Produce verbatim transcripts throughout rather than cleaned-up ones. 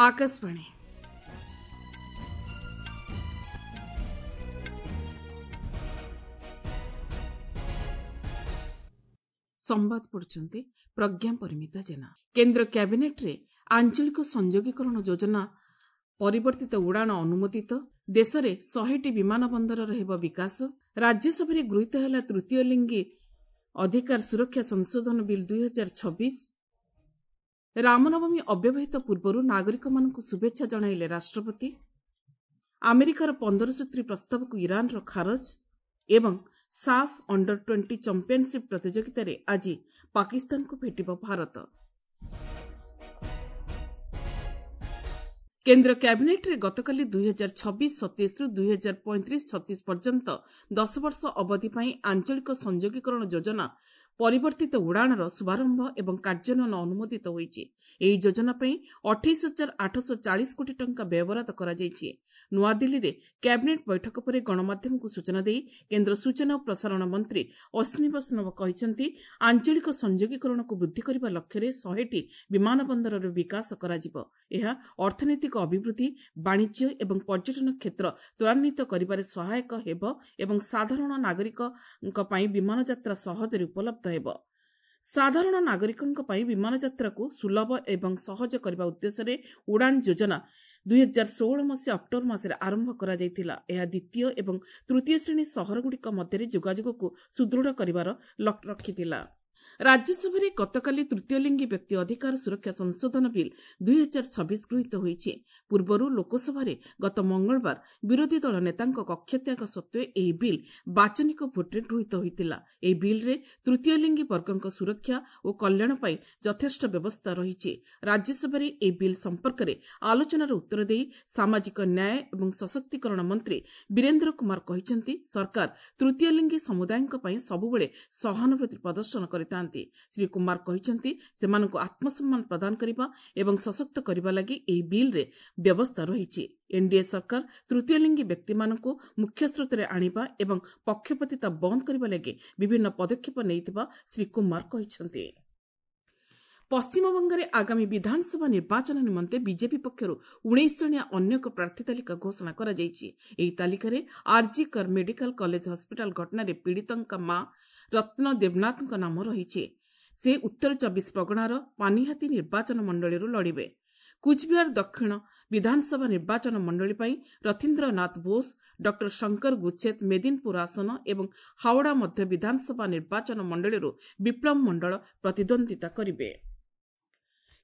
ଆକାଶବାଣୀ। ସମ୍ବାଦ ପଢୁଛନ୍ତି ପ୍ରଜ୍ଞା ପରିମିତା ଜେନା। କେନ୍ଦ୍ର କ୍ୟାବିନେଟ୍ରେ ଆଞ୍ଚଳିକ ସଂଯୋଗୀକରଣ ଯୋଜନା ପରିବର୍ତ୍ତିତ ଉଡ଼ାଣ ଅନୁମୋଦିତ। ଦେଶରେ ଶହେଟି ବିମାନ ବନ୍ଦରର ହେବ ବିକାଶ। ରାଜ୍ୟସଭାରେ ଗୃହୀତ ହେଲା ତୃତୀୟ ଲିଙ୍ଗୀ ଅଧିକାର ସୁରକ୍ଷା ସଂଶୋଧନ ବିଲ୍ ଦୁଇ ହଜାର ଛବିଶ। ରାମନବମୀ ଅବ୍ୟବହିତ ପୂର୍ବରୁ ନାଗରିକମାନଙ୍କୁ ଶୁଭେଚ୍ଛା ଜଣାଇଲେ ରାଷ୍ଟ୍ରପତି। ଆମେରିକାର ପନ୍ଦର ସୂତ୍ରୀ ପ୍ରସ୍ତାବକୁ ଇରାନର ଖାରଜ ଏବଂ ସାଫ୍ ଅଣ୍ଡର ଟ୍ୱେଣ୍ଟି ଚାମ୍ପିୟନସିପ୍ ପ୍ରତିଯୋଗିତାରେ ଆଜି ପାକିସ୍ତାନକୁ ଭେଟିବ ଭାରତ। କେନ୍ଦ୍ର କ୍ୟାବିନେଟ୍ରେ ଗତକାଲି ଦୁଇ ହଜାର ଛବିଶ ସତେଇଶରୁ ଦୁଇ ହଜାର ପଇଁତିରିଶ ଛତିଶ ପର୍ଯ୍ୟନ୍ତ ଦଶ ବର୍ଷ ଅବଧି ପାଇଁ ଆଞ୍ଚଳିକ ସଂଯୋଗୀକରଣ ଯୋଜନା ପରିବର୍ତ୍ତିତ ଉଡ଼ାଣର ଶୁଭାରମ୍ଭ ଏବଂ କାର୍ଯ୍ୟାନ୍ୱୟନ ଅନୁମୋଦିତ ହୋଇଛି। ଏହି ଯୋଜନା ପାଇଁ ଅଠେଇଶ ହଜାର ଆଠଶହ ଚାଳିଶ କୋଟି ଟଙ୍କା ବ୍ୟୟବରାଦ କରାଯାଇଛି। ନୂଆଦିଲ୍ଲୀରେ କ୍ୟାବିନେଟ୍ ବୈଠକ ପରେ ଗଣମାଧ୍ୟମକୁ ସୂଚନା ଦେଇ କେନ୍ଦ୍ର ସୂଚନା ଓ ପ୍ରସାରଣ ମନ୍ତ୍ରୀ ଅଶ୍ୱିନୀ ବୈଷ୍ଣବ କହିଛନ୍ତି, ଆଞ୍ଚଳିକ ସଂଯୋଗୀକରଣକୁ ବୃଦ୍ଧି କରିବା ଲକ୍ଷ୍ୟରେ ଶହେଟି ବିମାନ ବନ୍ଦରର ବିକାଶ କରାଯିବ। ଏହା ଅର୍ଥନୈତିକ ଅଭିବୃଦ୍ଧି, ବାଣିଜ୍ୟ ଏବଂ ପର୍ଯ୍ୟଟନ କ୍ଷେତ୍ର ତ୍ୱରାନ୍ୱିତ କରିବାରେ ସହାୟକ ହେବ ଏବଂ ସାଧାରଣ ନାଗରିକଙ୍କ ପାଇଁ ବିମାନ ଯାତ୍ରା ସହଜରେ ଉପଲବ୍ଧ ହେବ। ସାଧାରଣ ନାଗରିକଙ୍କ ପାଇଁ ବିମାନ ଯାତ୍ରାକୁ ସୁଲଭ ଏବଂ ସହଜ କରିବା ଉଦ୍ଦେଶ୍ୟରେ ଉଡ଼ାଣ ଯୋଜନା ଦୁଇ ହଜାର ଷୋହଳ ମସିହା ଅକ୍ଟୋବର ମାସରେ ଆରମ୍ଭ କରାଯାଇଥିଲା। ଏହା ଦ୍ୱିତୀୟ ଏବଂ ତୃତୀୟ ଶ୍ରେଣୀ ସହରଗୁଡ଼ିକ ମଧ୍ୟରେ ଯୋଗାଯୋଗକୁ ସୁଦୃଢ଼ କରିବାର ଲକ୍ଷ୍ୟ ରଖିଥିଲା। ରାଜ୍ୟସଭାରେ ଗତକାଲି ତୃତୀୟ ଲିଙ୍ଗୀ ବ୍ୟକ୍ତି ଅଧିକାର ସୁରକ୍ଷା ସଂଶୋଧନ ବିଲ୍ ଦୁଇ ହଜାର ଛବିଶ ଗୃହୀତ ହୋଇଛି। ପୂର୍ବରୁ ଲୋକସଭାରେ ଗତ ମଙ୍ଗଳବାର ବିରୋଧୀ ଦଳ ନେତାଙ୍କ କକ୍ଷତ୍ୟାଗ ସତ୍ତ୍ୱେ ଏହି ବିଲ୍ ବାଚନିକ ଭୋଟ୍ରେ ଗୃହୀତ ହୋଇଥିଲା। ଏହି ବିଲ୍ରେ ତୃତୀୟ ଲିଙ୍ଗୀ ବର୍ଗଙ୍କ ସୁରକ୍ଷା ଓ କଲ୍ୟାଣ ପାଇଁ ଯଥେଷ୍ଟ ବ୍ୟବସ୍ଥା ରହିଛି। ରାଜ୍ୟସଭାରେ ଏହି ବିଲ୍ ସମ୍ପର୍କରେ ଆଲୋଚନାର ଉତ୍ତର ଦେଇ ସାମାଜିକ ନ୍ୟାୟ ଏବଂ ସଶକ୍ତିକରଣ ମନ୍ତ୍ରୀ ବୀରେନ୍ଦ୍ର କୁମାର କହିଛନ୍ତି, ସରକାର ତୃତୀୟ ଲିଙ୍ଗୀ ସମୁଦାୟଙ୍କ ପାଇଁ ସବୁବେଳେ ସହାନୁଭୂତି ପ୍ରଦର୍ଶନ କରିଥାନ୍ତି। ଶ୍ରୀ କୁମାର କହିଛନ୍ତି, ସେମାନଙ୍କୁ ଆତ୍ମସମ୍ମାନ ପ୍ରଦାନ କରିବା ଏବଂ ସଶକ୍ତ କରିବା ଲାଗି ଏହି ବିଲ୍ରେ ବ୍ୟବସ୍ଥା ରହିଛି। ଏନ୍ଡିଏ ସରକାର ତୃତୀୟ ଲିଙ୍ଗୀ ବ୍ୟକ୍ତିମାନଙ୍କୁ ମୁଖ୍ୟସ୍ରୋତରେ ଆଣିବା ଏବଂ ପକ୍ଷପାତିତା ବନ୍ଦ କରିବା ଲାଗି ବିଭିନ୍ନ ପଦକ୍ଷେପ ନେଇଥିବା ଶ୍ରୀ କୁମାର କହିଛନ୍ତି। ପଶ୍ଚିମବଙ୍ଗରେ ଆଗାମୀ ବିଧାନସଭା ନିର୍ବାଚନ ନିମନ୍ତେ ବିଜେପି ପକ୍ଷରୁ ଉଣେଇଶ ଜଣିଆ ଅନ୍ୟ ଏକ ପ୍ରାର୍ଥୀ ତାଲିକା ଘୋଷଣା କରାଯାଇଛି। ଏହି ତାଲିକାରେ ଆର୍ଜି କର ମେଡିକାଲ କଲେଜ ହସ୍ପିଟାଲ ଘଟଣାରେ ପୀଡ଼ିତଙ୍କ ମା ରତ୍ନ ଦେବନାଥଙ୍କ ନାମ ରହିଛି। ସେ ଉତ୍ତର ଚବିଶ ପ୍ରଗଣାର ପାନିହାତୀ ନିର୍ବାଚନ ମଣ୍ଡଳୀରୁ ଲଢ଼ିବେ। କୁଚବିହାର ଦକ୍ଷିଣ ବିଧାନସଭା ନିର୍ବାଚନ ମଣ୍ଡଳୀ ପାଇଁ ରଥୀନ୍ଦ୍ରନାଥ ବୋଷ, ଡକ୍ଟର ଶଙ୍କର ଗୁଚ୍ଛେତ ମେଦିନପୁର ଆସନ ଏବଂ ହାଓଡ଼ା ମଧ୍ୟ ବିଧାନସଭା ନିର୍ବାଚନ ମଣ୍ଡଳୀରୁ ବିପ୍ଳବ ମଣ୍ଡଳ ପ୍ରତିଦ୍ୱନ୍ଦ୍ୱିତା କରିବେ।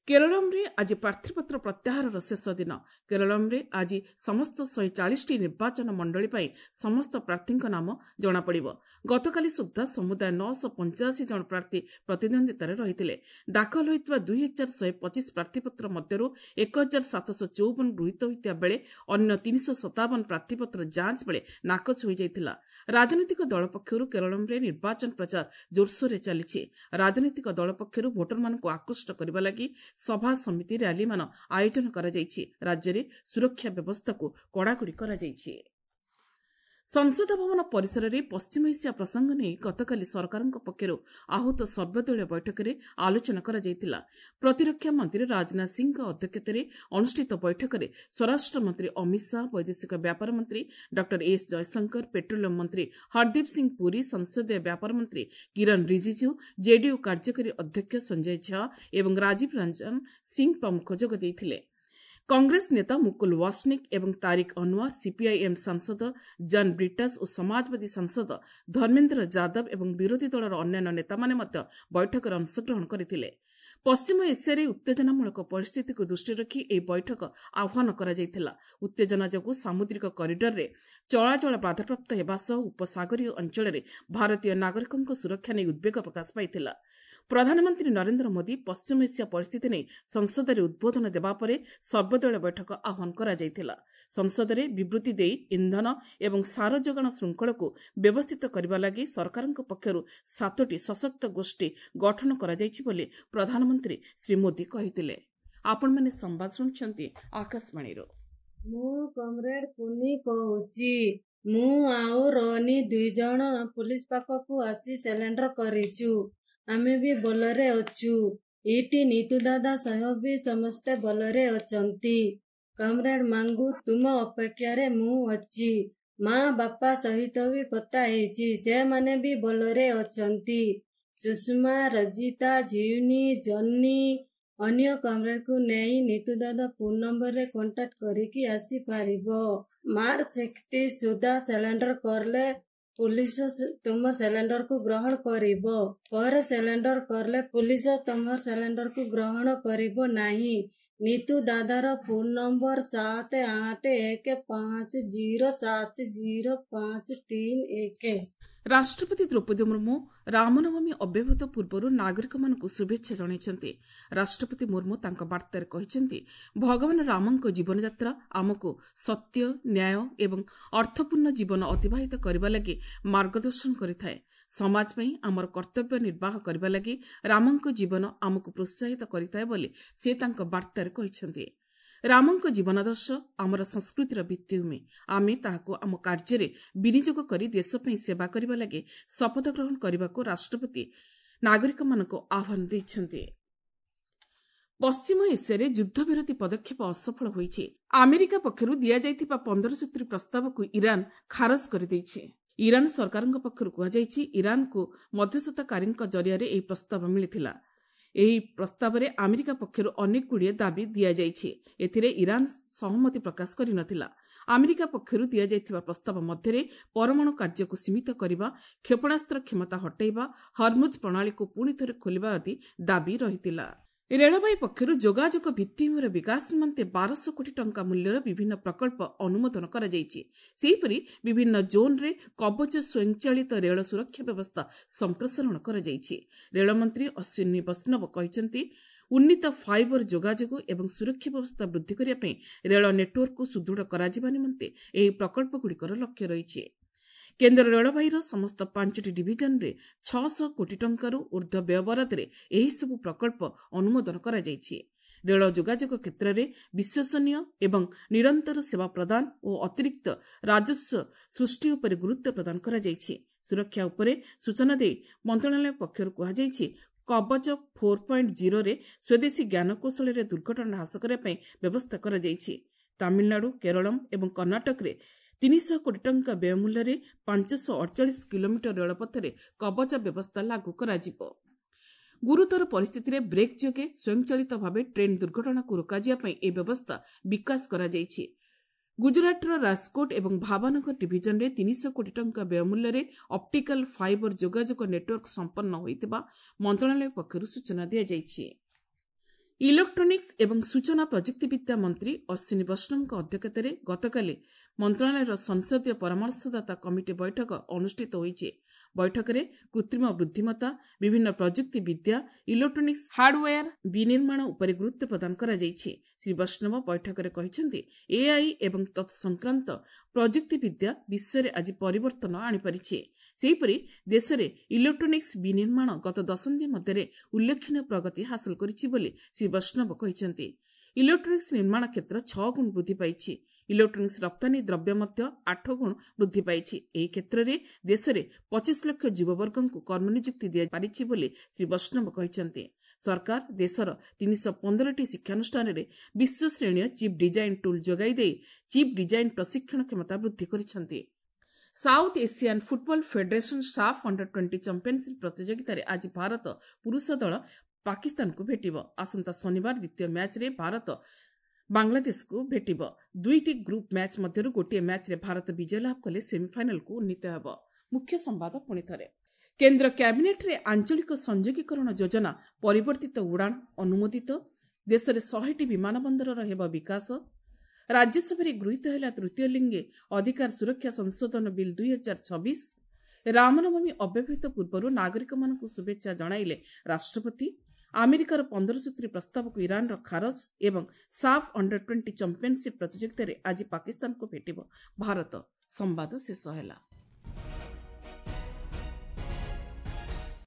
କେରଳମରେ ଆଜି ପ୍ରାର୍ଥୀପତ୍ର ପ୍ରତ୍ୟାହାରର ଶେଷ ଦିନ। କେରଳମରେ ଆଜି ସମସ୍ତ ଶହେ ଚାଳିଶଟି ନିର୍ବାଚନ ମଣ୍ଡଳୀ ପାଇଁ ସମସ୍ତ ପ୍ରାର୍ଥୀଙ୍କ ନାମ ଜଣାପଡ଼ିବ। ଗତକାଲି ସୁଦ୍ଧା ସମୁଦାୟ ନଅଶହ ପଞ୍ଚାଅଶୀ ଜଣ ପ୍ରାର୍ଥୀ ପ୍ରତିଦ୍ୱନ୍ଦ୍ୱିତାରେ ରହିଥିଲେ। ଦାଖଲ ହୋଇଥିବା ଦୁଇ ହଜାର ଶହେ ପଚିଶ ପ୍ରାର୍ଥୀପତ୍ର ମଧ୍ୟରୁ ଏକ ହଜାର ସାତଶହ ଚଉବନ ଗୃହୀତ ହୋଇଥିବା ବେଳେ ଅନ୍ୟ ତିନିଶହ ସତାବନ ପ୍ରାର୍ଥୀପତ୍ର ଯାଞ୍ଚ ବେଳେ ନାକଚ ହୋଇଯାଇଥିଲା। ରାଜନୈତିକ ଦଳ ପକ୍ଷରୁ କେରଳମରେ ନିର୍ବାଚନ ପ୍ରଚାର ଜୋରସୋରରେ ଚାଲିଛି। ରାଜନୈତିକ ଦଳ ପକ୍ଷରୁ ଭୋଟରମାନଙ୍କୁ ଆକୃଷ୍ଟ କରିବା ଲାଗି ସଭା ସମିତି ର୍ୟାଲିମାନ ଆୟୋଜନ କରାଯାଇଛି। ରାଜ୍ୟରେ ସୁରକ୍ଷା ବ୍ୟବସ୍ଥାକୁ କଡ଼ାକଡ଼ି କରାଯାଇଛି। ସଂସଦ ଭବନ ପରିସରରେ ପଶ୍ଚିମ ଏସିଆ ପ୍ରସଙ୍ଗ ନେଇ ଗତକାଲି ସରକାରଙ୍କ ପକ୍ଷରୁ ଆହୁତ ସର୍ବଦଳୀୟ ବୈଠକରେ ଆଲୋଚନା କରାଯାଇଥିଲା। ପ୍ରତିରକ୍ଷା ମନ୍ତ୍ରୀ ରାଜନାଥ ସିଂହଙ୍କ ଅଧ୍ୟକ୍ଷତାରେ ଅନୁଷ୍ଠିତ ବୈଠକରେ ସ୍ୱରାଷ୍ଟ୍ର ମନ୍ତ୍ରୀ ଅମିତ ଶାହା, ବୈଦେଶିକ ବ୍ୟାପାର ମନ୍ତ୍ରୀ ଡକ୍ଟର ଏସ୍ ଜୟଶଙ୍କର, ପେଟ୍ରୋଲିୟମ ମନ୍ତ୍ରୀ ହରଦୀପ ସିଂ ପୁରୀ, ସଂସଦୀୟ ବ୍ୟାପାର ମନ୍ତ୍ରୀ କିରଣ ରିଜିଜୁ, ଜେଡିୟୁ କାର୍ଯ୍ୟକାରୀ ଅଧ୍ୟକ୍ଷ ସଞ୍ଜୟ ଝା ଏବଂ ରାଜୀବ ରଞ୍ଜନ ସିଂ ପ୍ରମୁଖ ଯୋଗ ଦେଇଥିଲେ। କଂଗ୍ରେସ ନେତା ମୁକୁଲ ୱାସନିକ୍ ଏବଂ ତାରିକ ଅନୱାର, ସିପିଆଇଏମ୍ ସାଂସଦ ଜନ୍ ବ୍ରିଟାସ୍ ଓ ସମାଜବାଦୀ ସାଂସଦ ଧର୍ମେନ୍ଦ୍ର ଯାଦବ ଏବଂ ବିରୋଧୀ ଦଳର ଅନ୍ୟାନ୍ୟ ନେତାମାନେ ମଧ୍ୟ ବୈଠକରେ ଅଂଶଗ୍ରହଣ କରିଥିଲେ। ପଶ୍ଚିମ ଏସିଆରେ ଉତ୍ତେଜନାମୂଳକ ପରିସ୍ଥିତିକୁ ଦୃଷ୍ଟିରେ ରଖି ଏହି ବୈଠକ ଆହ୍ୱାନ କରାଯାଇଥିଲା। ଉତ୍ତେଜନା ଯୋଗୁଁ ସାମୁଦ୍ରିକ କରିଡରରେ ଚଳାଚଳ ବାଧାପ୍ରାପ୍ତ ହେବା ସହ ଉପସାଗରୀୟ ଅଞ୍ଚଳରେ ଭାରତୀୟ ନାଗରିକଙ୍କ ସୁରକ୍ଷା ନେଇ ଉଦ୍ବେଗ ପ୍ରକାଶ ପାଇଥିଲା। ପ୍ରଧାନମନ୍ତ୍ରୀ ନରେନ୍ଦ୍ର ମୋଦି ପଶ୍ଚିମ ଏସିଆ ପରିସ୍ଥିତି ନେଇ ସଂସଦରେ ଉଦ୍ବୋଧନ ଦେବା ପରେ ସର୍ବଦଳୀୟ ବୈଠକ ଆହ୍ୱାନ କରାଯାଇଥିଲା। ସଂସଦରେ ବିବୃତ୍ତି ଦେଇ ଇନ୍ଧନ ଏବଂ ସାର ଯୋଗାଣ ଶୃଙ୍ଖଳକୁ ବ୍ୟବସ୍ଥିତ କରିବା ଲାଗି ସରକାରଙ୍କ ପକ୍ଷରୁ ସାତୋଟି ସଶକ୍ତ ଗୋଷ୍ଠୀ ଗଠନ କରାଯାଇଛି ବୋଲି ପ୍ରଧାନମନ୍ତ୍ରୀ ଶ୍ରୀ ମୋଦି କହିଥିଲେ। ଆପଣମାନେ ସମ୍ବାଦ ଶୁଣୁଛନ୍ତି ଆକାଶବାଣୀରୁ। ମୁଁ କମ୍ରେଡ କୁନି କହୁଛି। ମୁଁ ଆଉ ରୋନି ଦୁଇ ଜଣ ପୁଲିସ ପାଖକୁ ଆସି ସିଲିଣ୍ଡର କରିଛୁ। ଆମେ ବି ଭଲରେ ଅଛୁ। ଏଇଠି ନିତୁ ଦାଦା ସହ ବି ସମସ୍ତେ ଭଲରେ ଅଛନ୍ତି। କମ୍ରେଡ୍ ମାଙ୍ଗୁ, ତୁମ ଅପେକ୍ଷାରେ ମୁଁ ଅଛି। ମା ବାପା ସହିତ ବି କଥା ହେଇଛି, ସେମାନେ ବି ଭଲରେ ଅଛନ୍ତି। ସୁଷମା, ରଜିତା, ଜିଉନି, ଜନି ଅନ୍ୟ କମ୍ରେଡ୍କୁ ନେଇ ନିତୁ ଦାଦା ଫୋନ୍ ନମ୍ବରରେ କଣ୍ଟାକ୍ଟ କରିକି ଆସିପାରିବ। ମାର୍ଚ୍ଚ ଏକତିରିଶ ସୁଦ୍ଧା ସିଲିଣ୍ଡର କଲେ ପୁଲିସ ତୁମ ସିଲିଣ୍ଡରକୁ ଗ୍ରହଣ କରିବ। ପରେ ସିଲିଣ୍ଡର କଲେ ପୁଲିସ ତୁମ ସିଲିଣ୍ଡରକୁ ଗ୍ରହଣ କରିବ ନାହିଁ। ନିତୁ ଦାଦାର ଫୋନ୍ ନମ୍ବର ସାତ ଆଠ ଏକ ପାଞ୍ଚ ଜିରୋ ସାତ ଜିରୋ ପାଞ୍ଚ ତିନି ଏକ। ରାଷ୍ଟ୍ରପତି ଦ୍ରୌପଦୀ ମୁର୍ମୁ ରାମନବମୀ ଅବ୍ୟବହିତ ପୂର୍ବରୁ ନାଗରିକମାନଙ୍କୁ ଶୁଭେଚ୍ଛା ଜଣାଇଛନ୍ତି। ରାଷ୍ଟ୍ରପତି ମୁର୍ମୁ ତାଙ୍କ ବାର୍ତ୍ତାରେ କହିଛନ୍ତି, ଭଗବାନ ରାମଙ୍କ ଜୀବନଯାତ୍ରା ଆମକୁ ସତ୍ୟ, ନ୍ୟାୟ ଏବଂ ଅର୍ଥପୂର୍ଣ୍ଣ ଜୀବନ ଅତିବାହିତ କରିବା ଲାଗି ମାର୍ଗଦର୍ଶନ କରିଥାଏ। ସମାଜ ପାଇଁ ଆମର କର୍ତ୍ତବ୍ୟ ନିର୍ବାହ କରିବା ଲାଗି ରାମଙ୍କ ଜୀବନ ଆମକୁ ପ୍ରୋତ୍ସାହିତ କରିଥାଏ ବୋଲି ସେ ତାଙ୍କ ବାର୍ତ୍ତାରେ କହିଛନ୍ତି। ରାମଙ୍କ ଜୀବନାଦର୍ଶ ଆମର ସଂସ୍କୃତିର ଭିତ୍ତିଭୂମି। ଆମେ ତାହାକୁ ଆମ କାର୍ଯ୍ୟରେ ବିନିଯୋଗ କରି ଦେଶ ପାଇଁ ସେବା କରିବା ଲାଗି ଶପଥ ଗ୍ରହଣ କରିବାକୁ ରାଷ୍ଟ୍ରପତି ନାଗରିକମାନଙ୍କୁ ଆହ୍ୱାନ ଦେଇଛନ୍ତି। ପଶ୍ଚିମ ଏସିଆରେ ଯୁଦ୍ଧବିରତି ପଦକ୍ଷେପ ଅସଫଳ ହୋଇଛି। ଆମେରିକା ପକ୍ଷରୁ ଦିଆଯାଇଥିବା ପନ୍ଦର ସୂତ୍ରୀ ପ୍ରସ୍ତାବକୁ ଇରାନ ଖାରଜ କରିଦେଇଛି। ଇରାନ ସରକାରଙ୍କ ପକ୍ଷରୁ କୁହାଯାଇଛି, ଇରାନକୁ ମଧ୍ୟସ୍ଥତାକାରୀଙ୍କ ଜରିଆରେ ଏହି ପ୍ରସ୍ତାବ ମିଳିଥିଲା। ଏହି ପ୍ରସ୍ତାବରେ ଆମେରିକା ପକ୍ଷରୁ ଅନେକଗୁଡ଼ିଏ ଦାବି ଦିଆଯାଇଛି। ଏଥିରେ ଇରାନ ସହମତି ପ୍ରକାଶ କରିନଥିଲା। ଆମେରିକା ପକ୍ଷରୁ ଦିଆଯାଇଥିବା ପ୍ରସ୍ତାବ ମଧ୍ୟରେ ପରମାଣୁ କାର୍ଯ୍ୟକୁ ସୀମିତ କରିବା, କ୍ଷେପଣାସ୍ତ୍ର କ୍ଷମତା ହଟାଇବା, ହର୍ମୁଜ ପ୍ରଣାଳୀକୁ ପୁଣିଥରେ ଖୋଲିବା ଆଦି ଦାବି ରହିଥିଲା। ରେଳବାଇ ପକ୍ଷରୁ ଯୋଗାଯୋଗ ଭିତ୍ତିଭୂମିର ବିକାଶ ନିମନ୍ତେ ବାରଶହ କୋଟି ଟଙ୍କା ମୂଲ୍ୟର ବିଭିନ୍ନ ପ୍ରକଳ୍ପ ଅନୁମୋଦନ କରାଯାଇଛି। ସେହିପରି ବିଭିନ୍ନ ଜୋନ୍ରେ କବଚ ସ୍ୱୟଂଚାଳିତ ରେଳ ସୁରକ୍ଷା ବ୍ୟବସ୍ଥା ସମ୍ପ୍ରସାରଣ କରାଯାଇଛି। ରେଳମନ୍ତ୍ରୀ ଅଶ୍ୱିନୀ ବୈଷ୍ଣବ କହିଛନ୍ତି, ଉନ୍ନୀତ ଫାଇବର ଯୋଗାଯୋଗ ଏବଂ ସୁରକ୍ଷା ବ୍ୟବସ୍ଥା ବୃଦ୍ଧି କରିବା ପାଇଁ ରେଳ ନେଟୱାର୍କକୁ ସୁଦୃଢ଼ କରାଯିବା ନିମନ୍ତେ ଏହି ପ୍ରକଳ୍ପଗୁଡ଼ିକର ଲକ୍ଷ୍ୟ ରହିଛି। କେନ୍ଦ୍ର ରେଳବାଇର ସମସ୍ତ ପାଞ୍ଚଟି ଡିଭିଜନରେ ଛଅଶହ କୋଟି ଟଙ୍କାରୁ ଉର୍ଦ୍ଧ୍ୱ ବ୍ୟୟବରାଦରେ ଏହିସବୁ ପ୍ରକଳ୍ପ ଅନୁମୋଦନ କରାଯାଇଛି। ରେଳ ଯୋଗାଯୋଗ କ୍ଷେତ୍ରରେ ବିଶ୍ୱସନୀୟ ଏବଂ ନିରନ୍ତର ସେବା ପ୍ରଦାନ ଓ ଅତିରିକ୍ତ ରାଜସ୍ୱ ସୃଷ୍ଟି ଉପରେ ଗୁରୁତ୍ୱ ପ୍ରଦାନ କରାଯାଇଛି। ସୁରକ୍ଷା ଉପରେ ସୂଚନା ଦେଇ ମନ୍ତ୍ରଣାଳୟ ପକ୍ଷରୁ କୁହାଯାଇଛି, କବଚ ଫୋର୍ ପଏଣ୍ଟ ଜିରୋରେ ସ୍ୱଦେଶୀ ଜ୍ଞାନକୌଶଳରେ ଦୁର୍ଘଟଣା ହ୍ରାସ କରିବା ପାଇଁ ବ୍ୟବସ୍ଥା କରାଯାଇଛି। ତାମିଲନାଡୁ, କେରଳମ୍ ଏବଂ କର୍ଣ୍ଣାଟକରେ ତିନିଶହ କୋଟି ଟଙ୍କା ବ୍ୟୟମୂଲ୍ୟରେ ପାଞ୍ଚଶହ ଅଡ଼ଚାଳିଶ କିଲୋମିଟର ରେଳପଥରେ କବଚ ବ୍ୟବସ୍ଥା ଲାଗୁ କରାଯିବ। ଗୁରୁତର ପରିସ୍ଥିତିରେ ବ୍ରେକ୍ ଯୋଗେ ସ୍ୱୟଂଚାଳିତ ଭାବେ ଟ୍ରେନ୍ ଦୁର୍ଘଟଣାକୁ ରୋକାଯିବା ପାଇଁ ଏହି ବ୍ୟବସ୍ଥା ବିକାଶ କରାଯାଇଛି। ଗୁଜରାଟର ରାଜକୋଟ ଏବଂ ଭାବନଗର ଡିଭିଜନରେ ତିନିଶହ କୋଟି ଟଙ୍କା ବ୍ୟୟମୂଲ୍ୟରେ ଅପ୍ଟିକାଲ ଫାଇବର ଯୋଗାଯୋଗ ନେଟୱାର୍କ ସମ୍ପନ୍ନ ହୋଇଥିବା ମନ୍ତ୍ରଣାଳୟ ପକ୍ଷରୁ ସୂଚନା ଦିଆଯାଇଛି। ଇଲେକ୍ଟ୍ରୋନିକ୍ସ ଏବଂ ସୂଚନା ପ୍ରଯୁକ୍ତିବିଦ୍ୟା ମନ୍ତ୍ରୀ ଅଶ୍ୱିନୀ ବୈଷ୍ଣବଙ୍କ ଅଧ୍ୟକ୍ଷତାରେ ଗତକାଲି ମନ୍ତ୍ରଣାଳୟର ସଂସଦୀୟ ପରାମର୍ଶଦାତା କମିଟି ବୈଠକ ଅନୁଷ୍ଠିତ ହୋଇଛି। ବୈଠକରେ କୃତ୍ରିମ ବୁଦ୍ଧିମତ୍ତା, ବିଭିନ୍ନ ପ୍ରଯୁକ୍ତି ବିଦ୍ୟା, ଇଲେକ୍ଟ୍ରୋନିକ୍ସ ହାର୍ଡୱେୟାର ବିନିର୍ମାଣ ଉପରେ ଗୁରୁତ୍ୱ ପ୍ରଦାନ କରାଯାଇଛି। ଶ୍ରୀ ବୈଷ୍ଣବ ବୈଠକରେ କହିଛନ୍ତି, ଏଆଇ ଏବଂ ତତ୍ସଂକ୍ରାନ୍ତ ପ୍ରଯୁକ୍ତିବିଦ୍ୟା ବିଶ୍ୱରେ ଆଜି ପରିବର୍ତ୍ତନ ଆଣିପାରିଛି। ସେହିପରି ଦେଶରେ ଇଲେକ୍ଟ୍ରୋନିକ୍ସ ବିନିର୍ମାଣ ଗତ ଦଶନ୍ଧି ମଧ୍ୟରେ ଉଲ୍ଲେଖନୀୟ ପ୍ରଗତି ହାସଲ କରିଛି ବୋଲି ଶ୍ରୀ ବୈଷ୍ଣବ କହିଛନ୍ତି। ଇଲେକ୍ଟ୍ରୋନିକ୍ସ ନିର୍ମାଣ କ୍ଷେତ୍ର ଛଅ ଗୁଣ ବୃଦ୍ଧି ପାଇଛି। ଇଲେକ୍ଟ୍ରୋନିକ୍ସ ରପ୍ତାନୀ ଦ୍ରବ୍ୟ ମଧ୍ୟ ଆଠ ଗୁଣ ବୃଦ୍ଧି ପାଇଛି। ଏହି କ୍ଷେତ୍ରରେ ଦେଶରେ ପଚିଶ ଲକ୍ଷ ଯୁବବର୍ଗଙ୍କୁ କର୍ମନିଯୁକ୍ତି ଦିଆପାରିଛି ବୋଲି ଶ୍ରୀ ବୈଷ୍ଣବ କହିଛନ୍ତି। ସରକାର ଦେଶର ତିନିଶହ ପନ୍ଦରଟି ଶିକ୍ଷାନୁଷ୍ଠାନରେ ବିଶ୍ୱଶ୍ରେଣୀୟ ଚିପ୍ ଡିଜାଇନ୍ ଟୁଲ୍ ଯୋଗାଇ ଦେଇ ଚିପ୍ ଡିଜାଇନ୍ ପ୍ରଶିକ୍ଷଣ କ୍ଷମତା ବୃଦ୍ଧି କରିଛନ୍ତି। South Asian football federation SAFF under twenty championship ପ୍ରତିଯୋଗିତାରେ ଆଜି ଭାରତ ପୁରୁଷ ଦଳ ପାକିସ୍ତାନକୁ ଭେଟିବ। ଆସନ୍ତା ଶନିବାର ଦ୍ୱିତୀୟ ମ୍ୟାଚ୍ରେ ଭାରତ ବାଂଲାଦେଶକୁ ଭେଟିବ। ଦୁଇଟି ଗ୍ରୁପ୍ ମ୍ୟାଚ୍ ମଧ୍ୟରୁ ଗୋଟିଏ ମ୍ୟାଚ୍ରେ ଭାରତ ବିଜୟ ଲାଭ କଲେ ସେମିଫାଇନାଲକୁ ଉନ୍ନୀତ ହେବ। ମୁଖ୍ୟ ସମ୍ବାଦ ପୁଣିଥରେ। କେନ୍ଦ୍ର କ୍ୟାବିନେଟ୍ରେ ଆଞ୍ଚଳିକ ସଂଯୋଗୀକରଣ ଯୋଜନା ପରିବର୍ତ୍ତିତ ଉଡ଼ାଣ ଅନୁମୋଦିତ। ଦେଶରେ ଶହେଟି ବିମାନ ବନ୍ଦରର ହେବ ବିକାଶ। ରାଜ୍ୟସଭାରେ ଗୃହୀତ ହେଲା ତୃତୀୟ ଲିଙ୍ଗେ ଅଧିକାର ସୁରକ୍ଷା ସଂଶୋଧନ ବିଲ୍ ଦୁଇ ହଜାର ଛବିଶ। ରାମନବମୀ ଅବ୍ୟବହିତ ପୂର୍ବରୁ ନାଗରିକମାନଙ୍କୁ ଶୁଭେଚ୍ଛା ଜଣାଇଲେ ରାଷ୍ଟ୍ରପତି। ଆମେରିକାର ପନ୍ଦର ସୂତ୍ରୀ ପ୍ରସ୍ତାବକୁ ଇରାନର ଖାରଜ ଏବଂ ସାଫ୍ ଅଣ୍ଡର ଟ୍ୱେଣ୍ଟି ଚାମ୍ପିୟନସିପ୍ ପ୍ରତିଯୋଗିତାରେ ଆଜି ପାକିସ୍ତାନକୁ ଭେଟିବ ଭାରତ। ସମ୍ବାଦ ଶେଷ ହେଲା।